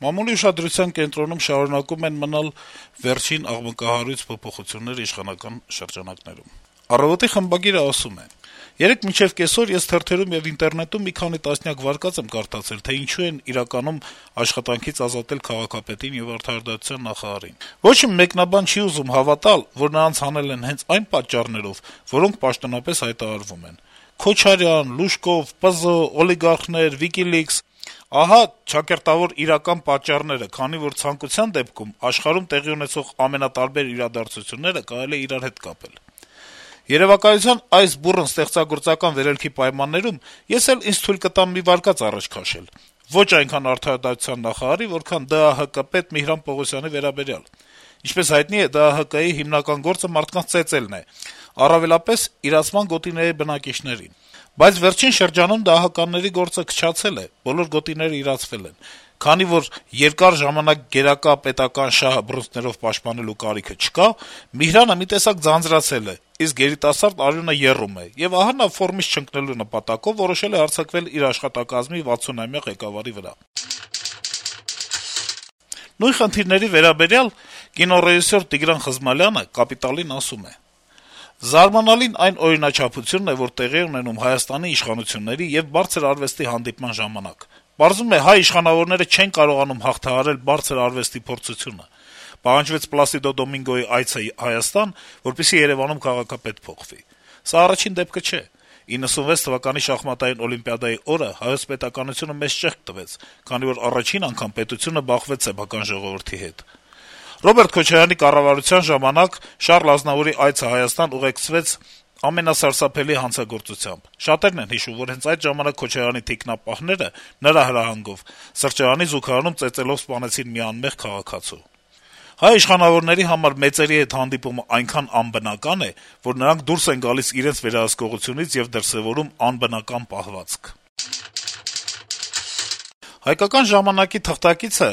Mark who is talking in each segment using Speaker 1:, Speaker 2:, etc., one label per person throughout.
Speaker 1: Մամուլի ուշադրության կենտրոնում շարունակում են մնալ վերջին աղմկահարույց փոփոխությունները իշխանական շրջանակներում։ «Առավոտ»-ի խմբագիրը ասում է. - «Երեկ մինչեւ կեսօր ես թերթերում եւ ինտերնետում մի քանի տասնյակ վարկած եմ կարդացել, թե ինչու են իրականում աշխատանքից ազատել քաղաքապետին եւ արդարադատության նախարարին։ Ոչ մի մեկնաբան չի ուզում հավատալ, որ նրանց հանել են հենց այն պատճառներով, որոնք պաշտոնապես հայտարարվում են. Քոչարյան, Լուշկով, ՊԶ, օլիգարխներ, WikiLeaks… Ահա ճակերտավոր իրական պատճառները, քանի որ ցանկության դեպքում աշխարհում տեղի ունեցող ամենատարբեր իրադարձությունները կարելի է իրար հետ կապել։ Երեւակայության այս բուռն ստեղծագործական վերելքի պայմաններում ես էլ ինձ թույլ կտամ մի վարկած առաջ քաշել, ոչ այնքան արդարադատության նախարարի, որքան ԴԱՀԿ պետ Միհրան Պողոսյանի վերաբերյալ։ Ինչպես հայտնի է, ԴԱՀԿ-ի հիմնական գործը մարդկանց ծեծելն է, առավելապես իրացման գոտիների բնակիչներին։ Բայց վերջին շրջանում ԴԱՀԿ-ների գործը քչացել է, բոլոր գոտիները իրացվել են։ Քանի որ երկար ժամանակ գերակա պետական շահը բռունցքներով պաշտպանելու կարիքը չկա, Միհրանը մի տեսակ ձանձրացել է, իսկ երիտասարդ արյունը եռում է, եւ ահա նա ֆորմից չընկնելու նպատակով որոշել է հարձակվել իր աշխատակազմի 60-ամյա ղեկավարի վրա»։ Նույն խնդիրների վերաբերյալ կինոռեժիսոր Տիգրան Խզմալյանը «Կապիտալ»-ին ասում է. - «Զարմանալին այն օրինաչափությունն է, որ տեղի է ունենում Հայաստանի իշխանությունների եւ բարձր արվեստի հանդիպման ժամանակ։ Պարզվում է, հայ իշխանավորները չեն կարողանում հաղթահարել բարձր արվեստի փորձությունը։ Պահանջվեց Պլասիդո Դոմինգոյի այցը Հայաստան, որպեսզի Երեւանում քաղաքապետ փոխվի։ Սա առաջին դեպքը չէ։ 96 թվականի շախմատային օլիմպիադայի օրը հայոց պետականությունը մեծ ճեղք տվեց, քանի որ առաջին անգամ պետությունը բախվեց սեփական ժողովրդի հետ։ Ռոբերտ Քոչարյանի կառավարության ժամանակ Շառլ Ազնավուրի այցը Հայաստան ուղեկցվեց ամենասարսափելի հանցագործությամբ։ Շատերն են հիշում, որ հենց այդ ժամանակ Քոչարյանի թիկնապահները նրա հրահանգով սրճարանի զուգարանում ծեծելով սպանեցին մի անմեղ քաղաքացու։ Հայ իշխանավորների համար մեծերի հետ հանդիպումը այնքան անբնական է, որ նրանք դուրս են գալիս իրենց վերահսկողությունից եւ դրսեւորում անբնական պահվածք»։ «Հայկական ժամանակ»-ի թղթակիցը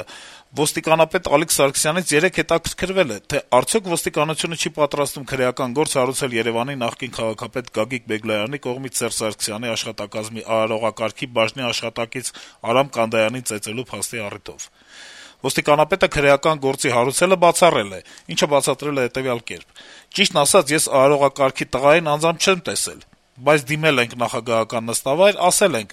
Speaker 1: ոստիկանապետ Ալիկ Սարգսյանից երեկ հետաքրքրվել է, թե արդյոք ոստիկանությունը չի պատրաստվում քրեական գործ հարուցել Երեւանի նախկին քաղաքապետ Գագիկ Բեգլարյանի կողմից Սերժ Սարգսյանի աշխատակազմի արարողակարգի բաժնի աշխատակից Արամ Կանդայանին ծեծելու փաստի առիթով։ Ոստիկանապետը քրեական գործի հարուցելը բացառել է, ինչը բացատրել է հետեւյալ կերպ. «Ճիշտն ասած, ես արարողակարգի տղային անձամբ չեմ տեսել, բայց դիմել ենք նախագահական նստավայր, ասել ենք.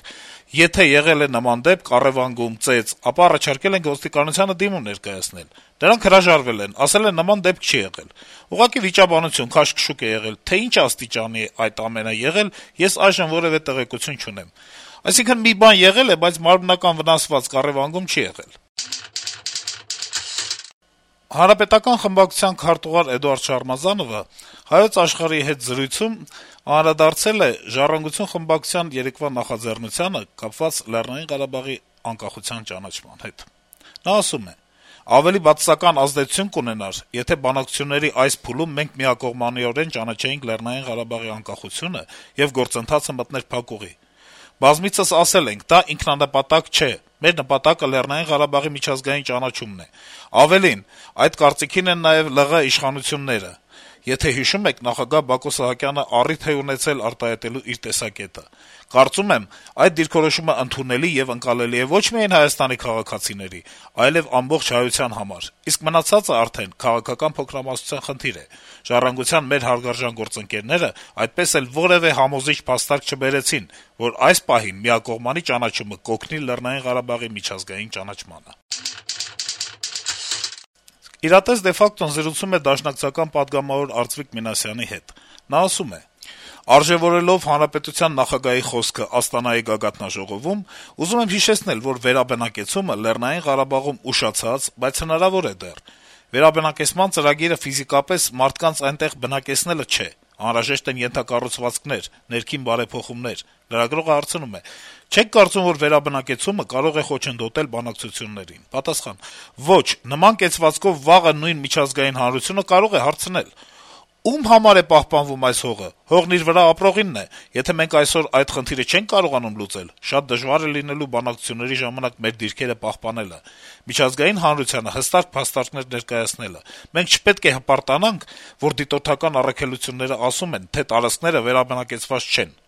Speaker 1: եթե եղել է նման դեպք, առեւանգում, ծեծ, ապա առաջարկել ենք ոստիկանությանը դիմում ներկայացնել։ Նրանք հրաժարվել են, ասել են նման դեպք չի եղել։ Ուղղակի վիճաբանություն, քաշքշուկ է եղել, թե ինչ աստիճանի է այդ ամենը եղել, ես այժմ որեւէ տեղեկություն չունեմ։ Այսինքն մի բան եղել է, բայց մարմնական վնասվածք, առեւանգում չի եղել»։ Հանրապետական խմբակցության քարտուղար Էդուարդ Շարմազանովը «Հայոց Աշխարհ»-ի հետ զրույցում անդրադարձել է «Ժառանգություն» խմբակցության երեկվա նախաձեռնությանը կապված Լեռնային Ղարաբաղի անկախության ճանաչման հետ։ Նա ասում է. - «Ավելի բացասական ազդեցություն կունենար, եթե բանակցությունների այս փուլում մենք միակողմանիորեն ճանաչեինք Լեռնային Ղարաբաղի անկախությունը եւ գործընթացը մտներ փակուղի։ Բազմիցս ասել ենք, դա ինքնանպատակ չէ, մեր նպատակը Լեռնային Ղարաբաղի միջազգային ճանաչումն է։ Ավելին, այդ կարծիքին են նաեւ ԼՂ իշխանությունները։ Եթե հիշում եք, նախագահ Բակո Սահակյանը առիթ է ունեցել արտահայտելու իր տեսակետը։ Կարծում եմ, այդ դիրքորոշումը ընդունելի եւ ընկալելի է ոչ միայն Հայաստանի քաղաքացիների, այլեւ ամբողջ հայության համար, իսկ մնացածը արդեն քաղաքական փոքրամասնության խնդիր է։ Ժառանգության մեր հարգարժան գործընկերները այդպես էլ որեւէ համոզիչ փաստարկ չբերեցին, որ այս պահին միակողմանի ճանաչումը կօգնի Լեռնային Ղարաբաղի միջազգային ճանաչմանը»։ «Իրատես de facto»-ն զրուցում է դաշնակցական պատգամավոր Արծվիկ Մինասյանի հետ։ Նա ասում է. - «Արժեվորելով հանրապետության նախագահի խոսքը Աստանայի գագաթնաժողովում, ուզում եմ հիշեցնել, որ վերաբնակեցումը Լեռնային Ղարաբաղում ուշացած, բայց հնարավոր է դեռ։ Վերաբնակեցման ծրագիրը ֆիզիկապես մարդկանց այնտեղ բնակեցնելը չէ, անհրաժեշտ են ենթակառուցվածքներ, ներքին բարեփոխումներ»։ Լրագրողը հարցնում է. - «Չեք կարծում, որ վերաբնակեցումը կարող է խոչընդոտել բանակցություններին»։ Պատասխան. - «Ոչ, նման կեցվածքով վաղը նույն միջազգային հանրությունը կարող է հարցնել. ում համար է պահպանվում այս հողը, հողն իր վրա ապրողինն է, եթե մենք այսօր այդ խնդիրը չենք կարողանում լուծել, շատ դժվար է լինելու բանակցությունների ժամանակ մեր դիրքերը պահպանելը, միջազգային հանրությանը հստակ փաստարկներ ներկայացնելը։ Մենք չպետք է հպարտանանք, որ դիտորդական առաքելությունները ասում են, թե տարածքները վերաբնակեցված չեն։